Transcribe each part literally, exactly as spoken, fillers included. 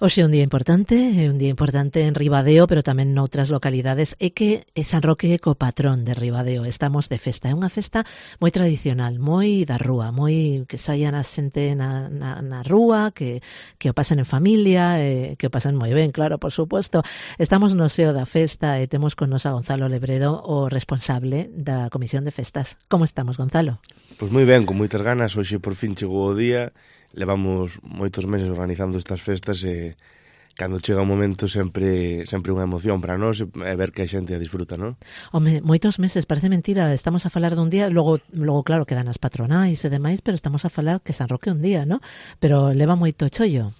Hoxe é un día importante, é un día importante en Ribadeo, pero tamén noutras localidades, é que San Roque é co patrón de Ribadeo, estamos de festa, é unha festa moi tradicional, moi da rúa, moi que saian a xente na, na, na rúa, que, que o pasen en familia, eh, que o pasen moi ben, claro, por suposto. Estamos no seo da festa e temos con nos a Gonzalo Lebredo, o responsable da Comisión de Festas. Como estamos, Gonzalo? Pois moi ben, con moitas ganas, hoxe por fin chegou o día. Levamos moitos meses organizando estas festas e cando chega o momento sempre sempre unha emoción para nós e ver que a xente a disfruta, non? Home, moitos meses, parece mentira, estamos a falar dun día, logo logo claro quedan as patronais e demais, pero estamos a falar que San Roque un día, non? Pero leva moito chollo.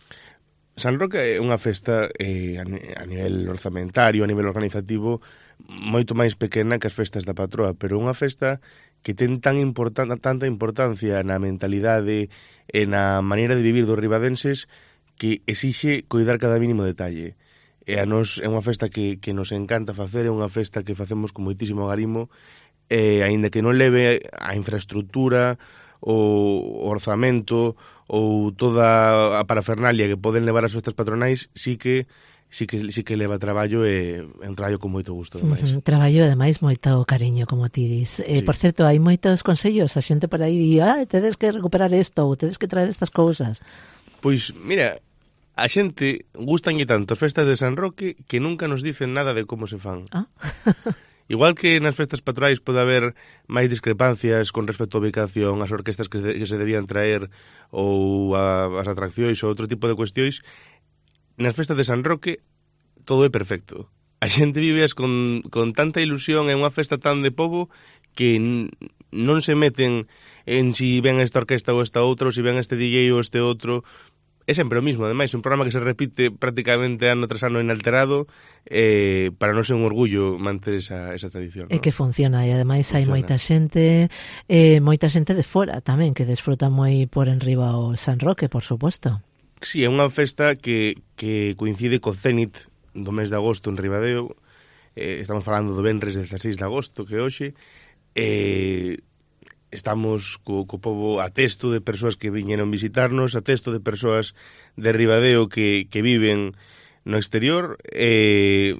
San Roque é unha festa eh, a nivel orzamentario, a nivel organizativo, moito máis pequena que as festas da patroa, pero unha festa que ten tan importante, tanta importancia na mentalidade e na maneira de vivir dos ribadenses que exixe coidar cada mínimo detalle. E a nos é unha festa que, que nos encanta facer, é unha festa que facemos con moitísimo agarimo, e aínda que non leve a infraestructura, o orzamento ou toda a parafernalia que poden levar as festas patronais, sí que sí que sí que leva traballo e é un traballo con moito gusto, ademais. Uh-huh. Traballo, ademais, moito cariño, como ti dis. Eh, sí. Por certo, hai moitos consellos, a xente por aí di, ah, tedes que recuperar isto, ou tedes que traer estas cousas. Pois, mira, a xente gustanlle tanto as festas de San Roque que nunca nos dicen nada de como se fan. Ah? Igual que nas festas patronais pode haber máis discrepancias con respecto á ubicación, as orquestas que se, que se debían traer ou a, as atraccións ou outro tipo de cuestións, nas festas de San Roque todo é perfecto. A xente vive con, con tanta ilusión, é unha festa tan de pobo que n- non se meten en si ven esta orquesta ou esta outra, ou si ven este D J ou este outro. É sempre o mismo, ademais, un programa que se repite prácticamente ano tras ano inalterado, eh, para non ser un orgullo manter esa, esa tradición, E ¿no? que funciona, e ademais hai Funciona. moita xente, eh, moita xente de fora tamén, que desfruta moi por enriba o San Roque, por suposto. Sí, é unha festa que, que coincide co Cénit do mes de agosto en Ribadeo, eh, estamos falando do venres dezaseis de agosto, que hoxe, eh, estamos co, co pobo a testo de persoas que viñeron visitarnos, a testo de persoas de Ribadeo que, que viven no exterior, e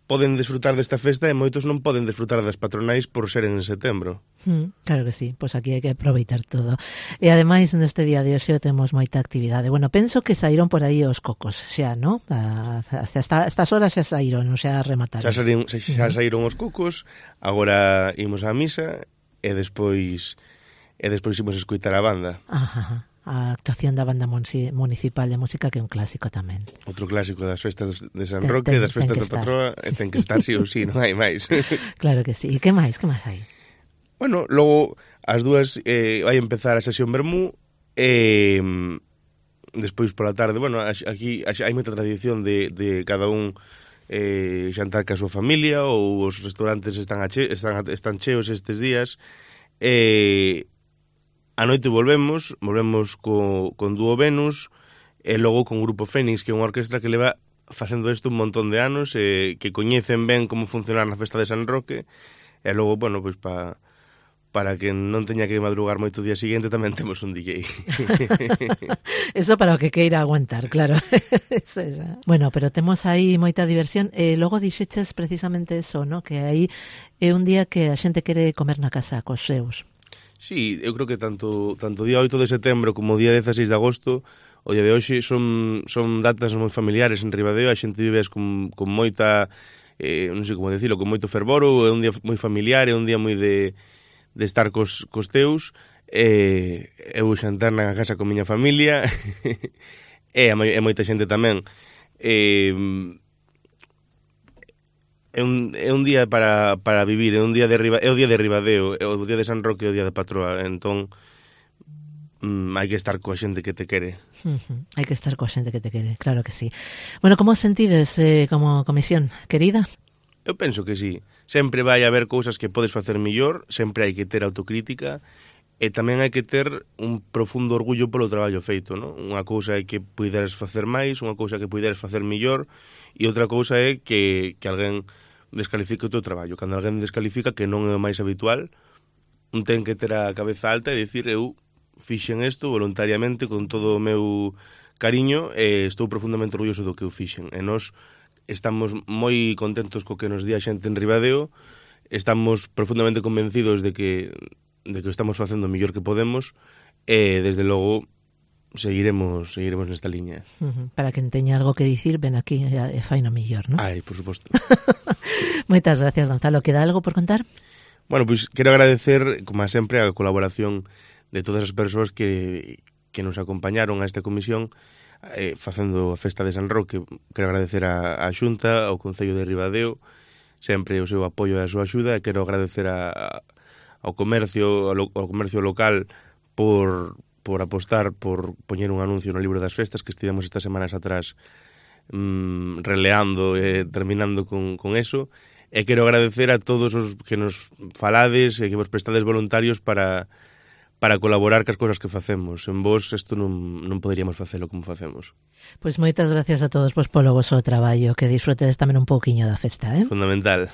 poden desfrutar desta festa e moitos non poden desfrutar das patronais por ser en setembro. Mm, claro que sí, pois aquí hai que aproveitar todo. E ademais neste día de hoxe temos moita actividade. Bueno, penso que saíron por aí os cocos, xa, ¿no? Hasta esta, estas horas xa saíron, xa remataron. Xa saíron, xa, xa saíron os cocos, agora imos á misa e despois e despois imos escoitar a banda. Ajá, a actuación da banda municipal de música, que é un clásico tamén. Outro clásico das festas de San Ten- Roque, ten- das festas ten da que patroa, e ten que estar sí ou sí, non hai máis. Claro que sí. E que máis, que máis hai? Bueno, logo as dúas eh, vai empezar a sesión vermú e mm, despois pola tarde, bueno, aquí hai moita tradición de, de cada un eh, xantar ca súa familia, ou os restaurantes están, a che, están, están cheos estes días, e a noite volvemos, volvemos co, con Dúo Venus, e logo con Grupo Fénix, que é unha orquestra que leva facendo isto un montón de anos, e que coñecen ben como funcionar na festa de San Roque, e logo, bueno, pois pa, para que non teña que madrugar moito o día seguinte tamén temos un D J. Eso para o que queira aguantar, claro. Eso, eso. Bueno, pero temos aí moita diversión. E logo dixeches precisamente eso, ¿no? Que aí é un día que a xente quere comer na casa cos seus. Sí, eu creo que tanto tanto o día oito de setembro como o día dezaseis de agosto, o día de hoxe, son, son datas moi familiares en Ribadeo, a xente vive con, con moita, eh, non sei como decirlo, con moito fervor, é un día moi familiar, é un día moi de, de estar cos, cos teus, e eu xantar na casa con miña familia, e a, e moita xente tamén. E, é un, é un día para, para vivir, é un día de Riba, é o día de Ribadeo, é o día de San Roque, é o día de Patroa, entón mm, hai que estar coa xente que te quere. Uh-huh. Hai que estar coa xente que te quere, claro que sí. Bueno, como sentides eh, como comisión, querida? Eu penso que sí. Sempre vai haber cousas que podes facer millor, sempre hai que ter autocrítica, e tamén hai que ter un profundo orgullo polo traballo feito, non? Unha cousa é que puideres facer máis, unha cousa é que puideres facer millor, e outra cousa é que, que alguén descalifique o teu traballo. Cando alguén descalifica, que non é o máis habitual, un ten que ter a cabeza alta e dicir, eu fixen isto voluntariamente con todo o meu cariño e estou profundamente orgulloso do que eu fixen. E nós estamos moi contentos co que nos di a xente en Ribadeo, estamos profundamente convencidos de que de que estamos facendo o mellor que podemos e, desde logo, seguiremos seguiremos nesta liña. Uh-huh. Para quen teña algo que dicir, ven aquí e fai no mellor, non? Ai, por suposto. Moitas gracias, Gonzalo. Queda algo por contar? Bueno, pois pues, quero agradecer, como sempre, a colaboración de todas as persoas que, que nos acompañaron a esta comisión eh, facendo a festa de San Roque. Quero agradecer a, a Xunta, ao Concello de Ribadeo, sempre o seu apoio e a súa axuda, e quero agradecer a, a, ao comercio ao, ao comercio local por, por apostar por poñer un anuncio no libro das festas que estivemos estas semanas atrás mmm, releando e terminando con, con eso, e quero agradecer a todos os que nos falades e que vos prestades voluntarios para para colaborar cas cousas que facemos. En vos isto non, non poderíamos facelo como facemos. Pois moitas gracias a todos vos polo voso traballo, que disfrutedes tamén un pouquiño da festa, eh? Fundamental.